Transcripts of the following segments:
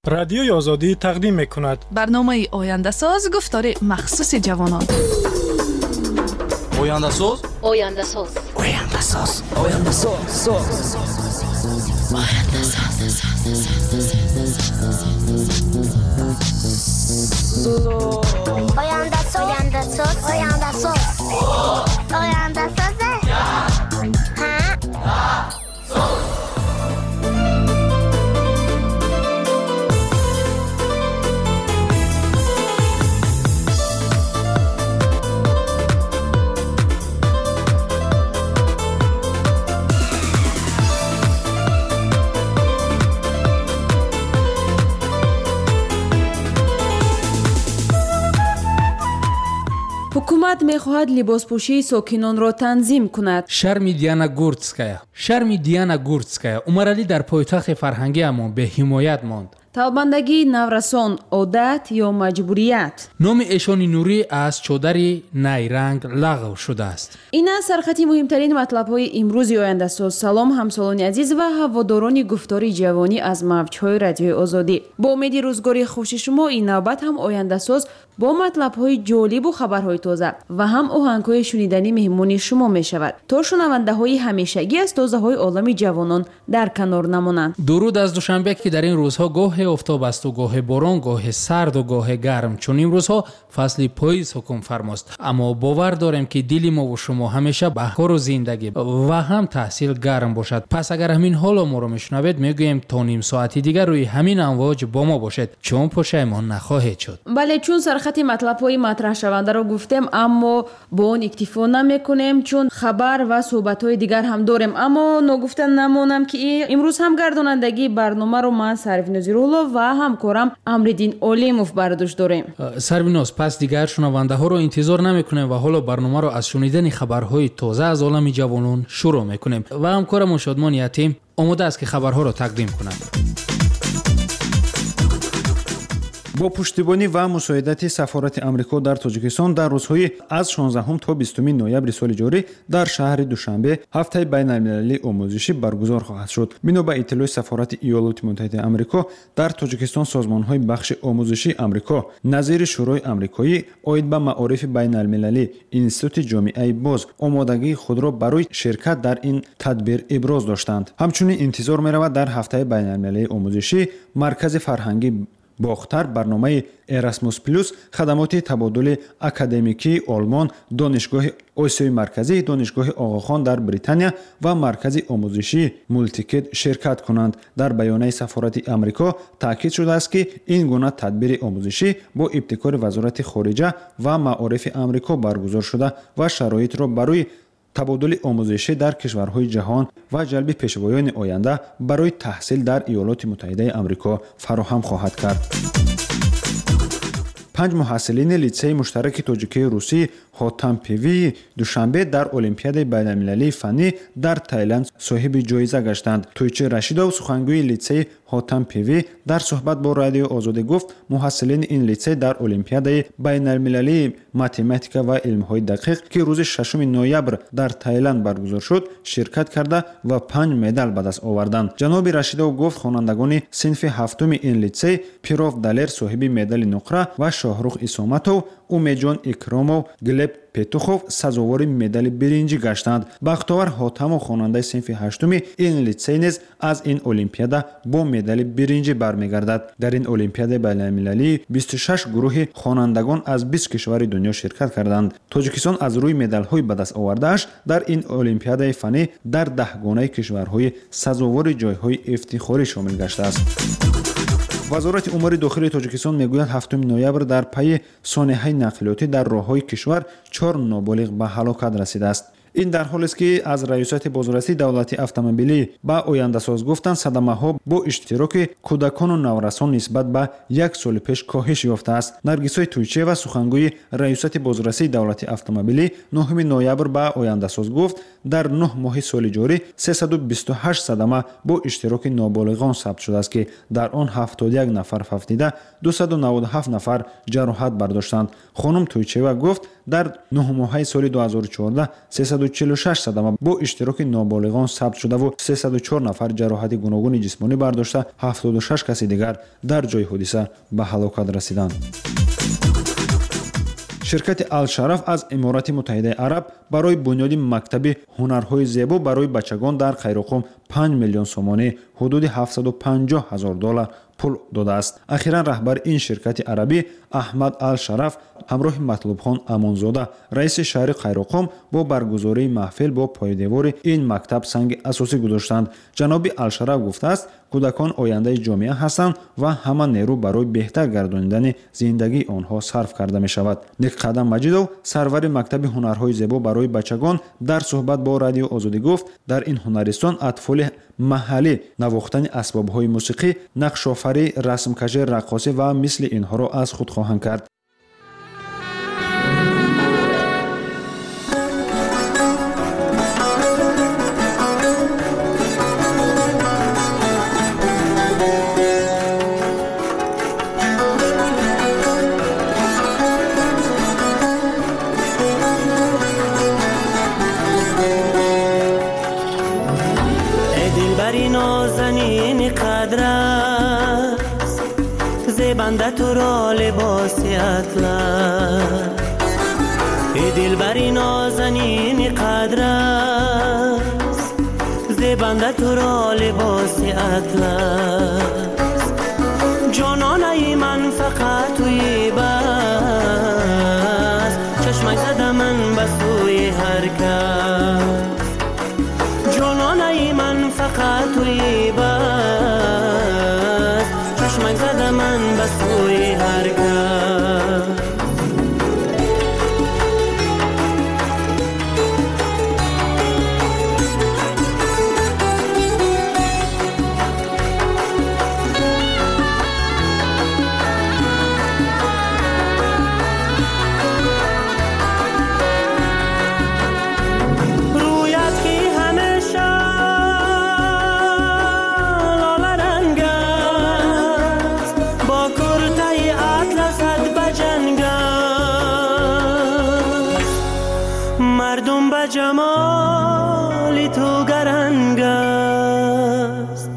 Радиои Озодӣ тақдим мекунад. Барномаи Ояндасоз, гуфтори махсуси ҷавонон. Ояндасоз? Ояндасоз. Ояндасоз. Ояндасоз. Ояндасоз. Ояндасоз. Ояндасоз. Ояндасоз. Ҳукумат мехоҳад либоспӯшии сокинонро танзим кунад. Шарми Диана Гурцкая. Шарми Диана Гурцкая. Умаралӣ дар пойтахти фарҳангиамон беҳимоят монд. Талбандагии наврасон одат ё маҷбурият? Номи эшони нурӣ аз чодари найранг лағв шудааст. Ин аст сархати муҳимтарин матлабҳои имрӯзи Ояндасоз. Салом, ҳамсолони азиз ва ҳаводорони гуфтори ҷавонӣ аз мавҷҳои Радиои Озодӣ. Бо умеди рӯзгори хуши шумо ин навбат ҳам Ояндасоз бо матлабҳои ҷолибу хабарҳои тоза ва ҳам оҳангҳои шуниданӣ меҳмони шумо мешавад, то шунавандаҳои ҳамешагӣ аз тозаҳои олами ҷавонон дар канор намонанд. Дуруд аз Душанбе, ки дар ин рӯзҳо гоҳе офтоб асту гоҳе борон, гоҳе сарду гоҳе гарм. Чун имрӯзҳо фасли поиз ҳукм фармост. Аммо бовар дорем, ки дили мову шумо ҳамеша ба кору зиндагӣ ва ҳам таҳсил гарм бошад. Пас агар ҳамин ҳоло моро мешунавед, мегӯем то ним соати дигар рӯи ҳамин амвоҷ бо мо бошед, чун пушаймон нахоҳед шуд. Бале, чун сархати матлабҳои матраҳшавандаро гуфтем, аммо бо он иктифо намекунем, чун хабар ва суҳбатҳои дигар ҳам дорем. Аммо ногуфта намонам, ки имрӯз ҳам гардонандагии барномаро ман Сарвиноз Рулов ва ҳамкорам Амриддин Олимов бар дӯш дорем. Сарвиноз, пас дигар шунавандаҳоро интизор намекунем ва ҳоло барномаро аз шунидани хабарҳои тоза аз олами ҷавонон шурӯъ мекунем ва ҳамкорамон Шодмон Ятим омода аст, ки хабарҳоро тақдим кунад. Бо пуштибонӣ ва мусоидати Сафорати Амрико дар Тоҷикистон дар рӯзҳои аз 16 то 20 ноябри соли ҷорӣ дар шаҳри Душанбе ҳафтаи байналмилалии омӯзишӣ баргузор хоҳад шуд. Бино ба иттилои Сафорати Иёлоти Муттаҳидаи Амрико, дар Тоҷикистон созмонҳои бахши омӯзишии Амрико назири Шӯрои Амрикоӣ оид ба маорифи байналмилалӣ, Институти ҷомеаи боз омодагии худро барои ширкат дар ин тадбир иброз доштанд. Ҳамчунин интизор меравад, дар ҳафтаи байналмилалии омӯзишӣ Маркази фарҳангӣ Бохтар барномаи Erasmus Plus, хадамоти табодули академикии Олмон, Донишгоҳи Осиёи Марказӣ, Донишгоҳи Оғохон дар Британия ва Маркази омӯзишии Мултикет ширкат кунанд. Дар баёнаи Сафорати Амрико таъкид шудааст, ки ин гуна тадбири омӯзишӣ бо ибтикори Вазорати хориҷа ва маорифи Амрико баргузор шуда ва шароитро барои табодули омӯзишӣ дар кишварҳои ҷаҳон ва ҷалби пешвоёни оянда барои таҳсил дар Иёлоти Муттаҳидаи Амрико фароҳам хоҳад кард. 5 муҳассилини литсеи муштараки тоҷикии русӣ Хотампивии Душанбе дар Олимпиадаи байналмилалии фаннӣ дар Таиланд соҳиби ҷоиза гаштанд. Тӯйчи Рашидов, сухангӯи литсеи Хотампивӣ, дар суҳбат бо Радиои Озодӣ гуфт, муҳассилини ин литсей дар Олимпиадаи байналмилалии математика ва илмҳои дақиқ, ки рӯзи 6 ноябр дар Таиланд баргузор шуд, ширкат карда ва 5 медал ба даст оварданд. Ҷаноби Рашидов гуфт, хонандагони синфи ҳафтуми ин литсей Пиров Далер соҳиби медали нуқра ва Шоҳрух Исоматов, Умедҷон Икромов, Глеб Петухов сазовори медали биринҷӣ гаштанд. Бахтовар Ҳотамов, хонандаи синфи ҳаштуми ин литсей низ аз ин олимпиада бо медали биринҷӣ бармегардад. Дар ин олимпиадаи байналмилалӣ 26 гурӯҳи хонандагон аз 20 кишвари дунё ширкат карданд. Тоҷикистон аз рӯи медалҳои ба даст овардааш дар ин олимпиадаи фаннӣ дар даҳгонаи кишварҳои сазовори ҷойҳои ифтихорӣ шомил гаштааст. Вазорати умури дохилии Тоҷикистон мегӯяд, 7 ноябр дар пайи сонеҳаи нақлиётӣ дар роҳҳои кишвар 4 ноболиғ ба ҳалокат расидааст. Ин дар ҳолест, ки аз Раёсати бозрасии давлатии автомобилӣ ба Ояндасоз гуфтанд, садамаҳо бо иштироки кӯдакону наврасон нисбат ба як соли пеш коҳиш ёфтааст. Наргисои Тӯйчиева, сухангӯи Раёсати бозрасии давлатии автомобилӣ, 9 ноябр ба Ояндасоз гуфт, дар 9 моҳи соли ҷорӣ 328 садама бо иштироки ноболиғон сабт шудааст, ки дар он 71 нафар фавтида, 297 нафар ҷароҳат бардоштанд. Хонум Тӯйчиева гуфт, дар 9 моҳаи соли 2014 346 садама бо иштироки ноболиғон сабт шудаву 304 нафар ҷароҳати гуногуни ҷисмонӣ бардошта, 76 каси дигар дар ҷои ҳодиса ба ҳалокат расиданд. Ширкати Алшараф аз Иморати Муттаҳидаи Араб барои бунёди мактаби ҳунарҳои зебо барои бачагон дар Қайроқум 5 миллион сомонӣ, ҳудуди 750 ҳазор доллар пул додааст. Ахиран раҳбари ин ширкати арабӣ Аҳмад Алшараф ҳамроҳи Матлубхон Амонзода, раиси шаҳри Қайроқум, бо баргузории маҳфил бо пойдевори ин мактаб санги асосӣ гузоштанд. Ҷаноби Алшараф гуфтааст, кӯдакон ояндаи ҷомеа ҳастанд ва ҳама нерӯ барои беҳтар гардонидани зиндагии онҳо сарф карда мешавад. Некқадам Маҷидов, сарвари мактаби ҳунарҳои зебо барои бачагон, дар суҳбат бо Радио Озодӣ гуфт, дар ин ҳунаристон атфоли маҳаллӣ навохтани асбобҳои мусиқӣ, нақшофарӣ, расмкашӣ, раққосӣ ва мисли инҳоро аз худ хоҳанд кард. زیبنده تو را لباس اطلس، ای دلبری نازنین قدر است، زیبنده تو را لباس اطلس، جانانه من فقط توی بس، چشمک زده من به سوی هر کس، جانانه من فقط توی بس، چشمک زده من به سوی هر کس. جمال تو گرنگ است،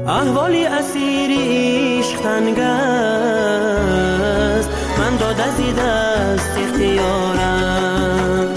احوال اسیر عشق تنگ است، من داده زی دست اختیارم،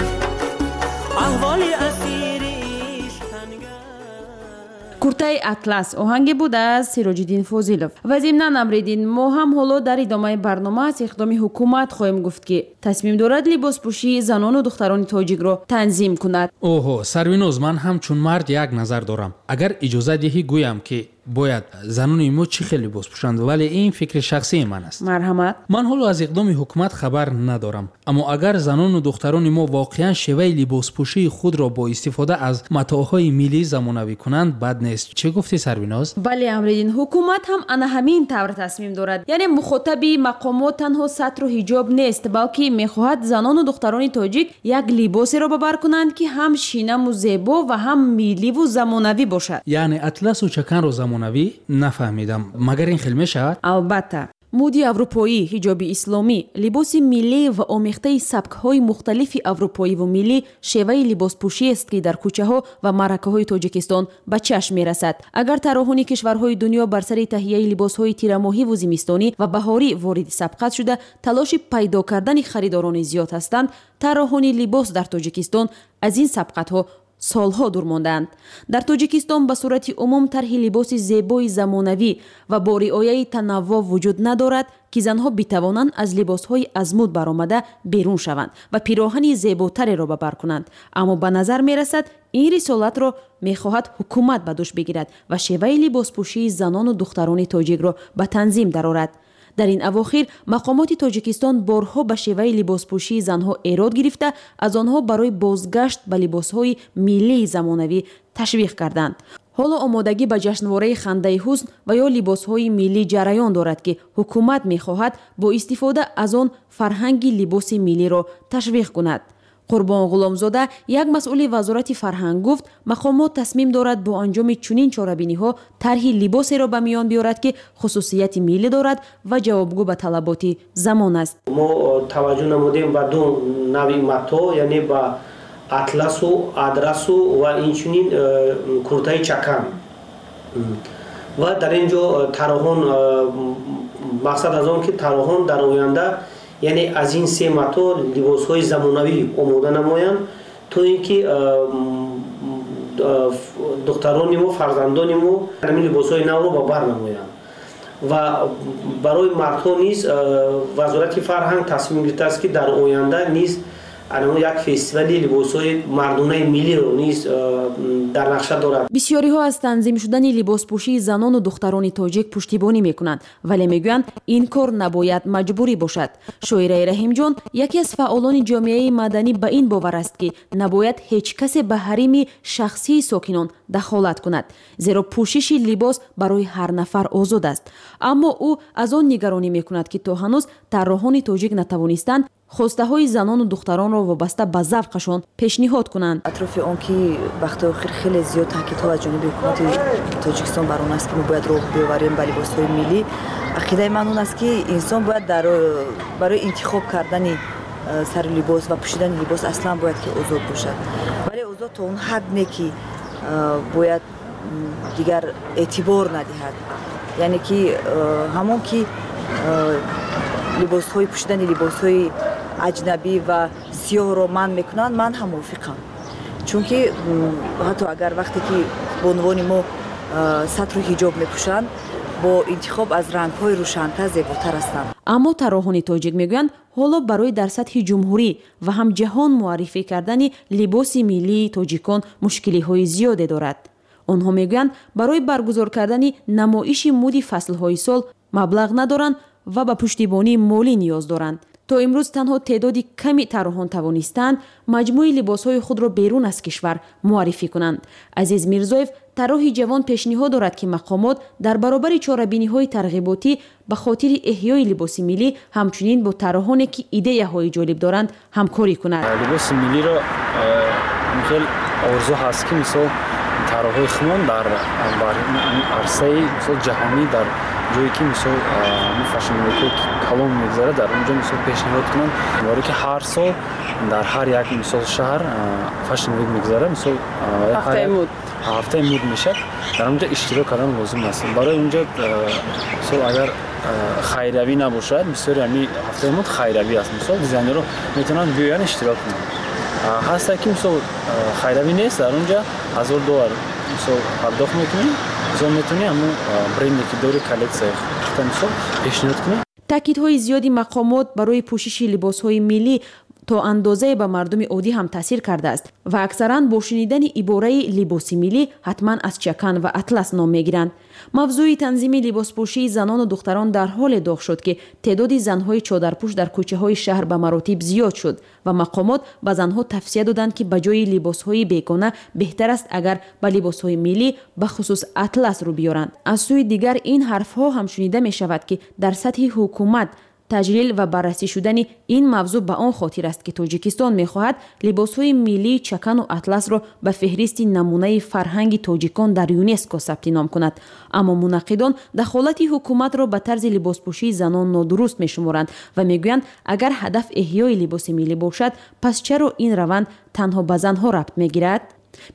احوال اسیر عشق تنگ است. Куртаи атлас оҳанге буд аз Сироҷиддин Фозилов. Ва зимнан, Амриддин, мо ҳам ҳоло дар идомаи барнома аз иқдоми ҳукумат хоҳем гуфт, ки тасмим дорад либоспӯшии занону духтарони тоҷикро танзим кунад. Оҳо, Сарвиноз, ман ҳамчун мард як назар дорам. Агар иҷоза диҳӣ, гӯям, ки бояд занони мо чӣ хел либос пӯшанд, вале ин фикри шахсии ман аст. Марҳамат. Ман ҳоло аз иқдоми ҳукумат хабар надорам, аммо агар занону духтарони мо воқеан шеваи либоспӯшии худро бо истифода аз матоъҳои миллӣ замонавӣ кунанд, бад нест. Чӣ гуфтӣ, Сарвиноз? Бале, Амриддин, ҳукумат ҳам ана ҳамин тавр тасмим дорад. Яъне мухотаби мақомот танҳо сатру ҳиҷоб нест, балки мехоҳад занону духтарони тоҷик як либосеро ба бар кунанд, ки ҳам шинаму зебо ва ҳам милливу замонавӣ бошад. Яъне атласу чаканро замонавӣ? Нафаҳмидам, магар ин хел мешавад? Албатта, муди аврупоӣ, ҳиҷоби исломӣ, либоси миллӣ ва омехтаи сабкҳои мухталифи аврупоиву миллӣ шеваи либоспӯшиест, ки дар кӯчаҳо ва маъракаҳои Тоҷикистон ба чашм мерасад. Агар тарроҳони кишварҳои дунё бар сари таҳияи либосҳои тирамоҳиву зимистонӣ ва баҳорӣ вориди сабқат шуда, талоши пайдо кардани харидорони зиёд ҳастанд, тарроҳони либос дар Тоҷикистон аз ин сабқатҳо солҳо дур мондаанд. Дар Тоҷикистон ба сурати умум тарҳи либоси зебои замонавӣ ва бо риояи танаввӯъ вуҷуд надорад, ки занҳо битавонанд аз либосҳои аз муд баромада берун шаванд ва пироҳани зеботареро ба бар кунанд. Аммо ба назар мерасад, ин рисолатро мехоҳад ҳукумат ба дӯш бигирад ва шеваи либоспӯшии занону духтарони тоҷикро ба танзим дарорад. Дар ин авохир мақомоти Тоҷикистон борҳо ба шеваи либоспӯшии занҳо эрод гирифта, аз онҳо барои бозгашт ба либосҳои миллии замонавӣ ташвиқ карданд. Ҳоло омодагӣ ба ҷашнвораи хандаи ҳусн ва ё либосҳои миллӣ ҷараён дорад, ки ҳукумат мехоҳад бо истифода аз он фарҳанги либоси миллиро ташвиқ кунад. Қурбон Ғуломзода, як масъули вазорати фарҳанг, гуфт, мақомот тасмим дорад бо анҷоми чунин чорабиниҳо тарҳи либосеро ба миён биёрад, ки хусусияти миллӣ дорад ва ҷавобгӯ ба талаботи замон аст. Мо таваҷҷӯҳ намудем ба ду нави матоъ, яъне ба Атласу, адрасу ва инчунин куртаи чакан. Ва дар ин ҷо тарроҳон, мақсад аз он ки тарроҳон дар оянда, яъне аз ин се мато либосҳои замонавӣ омода намоянд, то ин ки духтарони мо, фарзандони мо ҳамин либосҳои навро ба бар намоянд. Ва барои мардҳо низ Вазорати фарҳанг тасмим гирифтааст, ки дар оянда низ як фестивали либосҳои мардонаи миллиро низ дар нақша дорад. Бисёриҳо аз танзим шудани либоспӯшии занону духтарони тоҷик пуштибонӣ мекунанд, вале мегӯянд, ин кор набояд маҷбурӣ бошад. Шоираи Раҳимҷон, яке аз фаъолони ҷомеаи маданӣ, ба ин бовар аст, ки набояд ҳеҷ касе ба ҳарими шахсии сокинон дахолат кунад, зеро пӯшиши либос барои ҳар нафар озод аст. Аммо ӯ аз он нигаронӣ мекунад, ки то ҳанӯз тарроҳони тоҷик натавонистанд хостаҳои занону духтаронро вобаста ба завқашон пешниҳод кунанд. Атрофи он ки вақтҳои охир хеле зиёд таъкидҳо аз ҷониби ҳукумати Тоҷикистон бар он аст, ки мо бояд роҳ биёварем ба либосҳои миллӣ, ақидаи ман он аст, ки инсон бояд барои интихоб кардани сари либос ва пӯшидани либос аслан бояд ки озод бошад, вале озод то он ҳад не, ки бояд дигар эътибор надиҳад, яъне ки ҳамон ки либосҳои пӯшидани либосҳои аҷнабӣ ва сиёҳро манъ мекунанд, ман ҳам мувофиқам, чунки ҳатто агар вақте ки бонувони мо сатру ҳиҷоб мепӯшанд, бо интихоб аз рангҳои рӯшантар зеботар ҳастанд. Аммо тарроҳони тоҷик мегӯянд, ҳоло барои дар сатҳи ҷумҳурӣ ва ҳам ҷаҳон муаррифӣ кардани либоси миллии тоҷикон мушкилиҳои зиёде дорад. Онҳо мегӯянд, барои баргузор кардани намоиши муди фаслҳои сол маблағ надоранд ва ба пуштибонии молӣ ниёз доранд. То имрӯз танҳо теъдоди ками тарроҳон тавонистаанд маҷмӯи либосҳои худро берун аз кишвар муаррифӣ кунанд. Азиз Мирзоев, тарроҳи ҷавон, пешниҳод дорад, ки мақомот дар баробари чорабиниҳои тарғиботӣ ба хотири эҳёи либоси миллӣ ҳамчунин бо тарроҳоне, ки идеяҳои ҷолиб доранд, ҳамкорӣ кунад. Либоси миллиро хел орзу ҳаст, ки мисол тарроҳои худмон дар арсаи мисол ҷаҳонӣ, дар ҷое ки мисол fashion week калон мегузарад, дар он ҷо мисол пешниҳод кунанд, барое ки ҳар сол дар ҳар як мисол шаҳр fashion week мегузарад, мисол ҳафтаи муд мешавад, дар он ҷо иштирок кардан лозим аст. Барои он ҷо мисол агар хайравӣ набошад, бисёри ҳами ҳафтаи муд хайравӣ аст, мисол дизайнерро метавонанд биёянд, иштирок кунанд. Ҳаста ки мисол хайравӣ нест, дар он ҷо $1000 мисол пардохт мекунӣ, мисол метавонӣ ҳамун бренде ки дори, коллексияи худта мисол пешниҳод кунӣ. Таъкидҳои зиёди мақомот барои пӯшиши либосҳои миллӣ то андозае ба мардуми оддӣ ҳам таъсир кардааст ва аксаран бо шунидани ибораи либоси миллӣ ҳатман аз чакан ва атлас ном мегиранд. Мавзӯи танзими либоспӯшии занону духтарон дар ҳоле доғ шуд, ки теъдоди занҳои чодарпӯш дар кӯчаҳои шаҳр ба маротиб зиёд шуд ва мақомот ба занҳо тавсия доданд, ки ба ҷои либосҳои бегона беҳтар аст, агар ба либосҳои миллӣ, бахусус атлас, рӯ биёранд. Аз сӯи дигар, ин ҳарфҳо ҳам шунида мешавад, ки дар сатҳи ҳукумат таҷлил ва баррасӣ шудани ин мавзӯъ ба он хотир аст, ки Тоҷикистон мехоҳад либосҳои миллии чакану атласро ба феҳристи намунаи фарҳанги тоҷикон дар ЮНЕСКО сабти ном кунад. Аммо мунаққидон дахолати ҳукуматро ба тарзи либоспӯшии занон нодуруст мешуморанд ва мегӯянд, агар ҳадаф эҳёи либоси миллӣ бошад, пас чаро ин раванд танҳо ба занҳо рабт мегирад?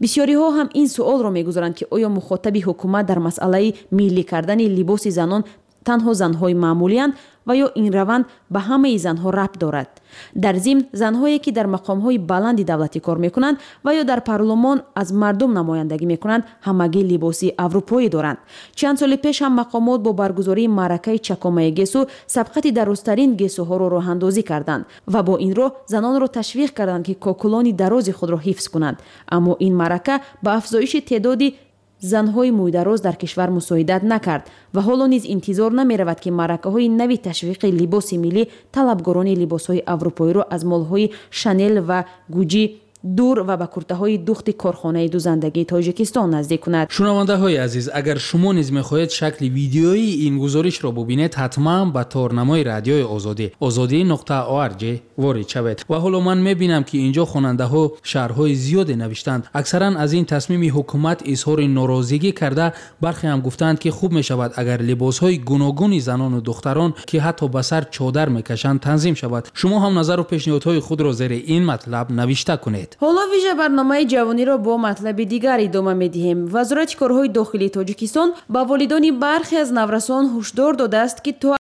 Бисёриҳо ҳам ин суолро мегузоранд, ки оё мухотаби ҳукумат дар масъалаи миллӣ кардани либоси занон танҳо занҳои маъмулиянд ва ё ин раванд ба ҳамаи занҳо рабт дорад. Дар зимн, занҳое ки дар мақомҳои баланди давлатӣ кор мекунанд ва ё дар парлумон аз мардум намояндагӣ мекунанд, ҳамагӣ либоси аврупоӣ доранд. Чанд соли пеш ҳам мақомот бо баргузории маъракаи чакомаи гесу сабқати дарозтарин гесуҳоро роҳандозӣ карданд ва бо ин роҳ занонро ташвиқ карданд, ки кокулони дарози худро ҳифз кунанд. Аммо ин маърака ба афзоиши теъдоди занҳои мӯйдароз дар кишвар мусоидат накард ва ҳоло низ интизор намеравад, ки маъракаҳои нави ташвиқи либоси миллӣ талабгорони либосҳои аврупоиро аз молҳои Шанел ва Гуҷи дур ва ба куртаҳои духти корхонаи дузандагии Тоҷикистон наздик кунад. Шунавандаҳои азиз, агар шумо низ мехоҳед шакли видеоии ин гузоришро бубинед, ҳатман ба торнамои Радиои Озодӣ озодӣ.org ворид шавед. Ва ҳоло ман мебинам, ки инҷо хонандаҳо шарҳҳои зиёде навиштанд. Аксаран аз ин тасмими ҳукумат изҳори норозигӣ карда, бархе ҳам гуфтаанд, ки хуб мешавад, агар либосҳои гуногуни занону духтарон, ки ҳатто ба сар чодар мекашанд, танзим шавад. Шумо ҳам назару пешниҳодҳои худро зери ин матлаб навишта кунед. Гардед. Ҳоло вижа барномаи ҷавониро бо матлаби дигар идома медиҳем. Вазорати корҳои дохилии Тоҷикистон ба волидони бархе аз наврасон ҳушдор додааст, ки то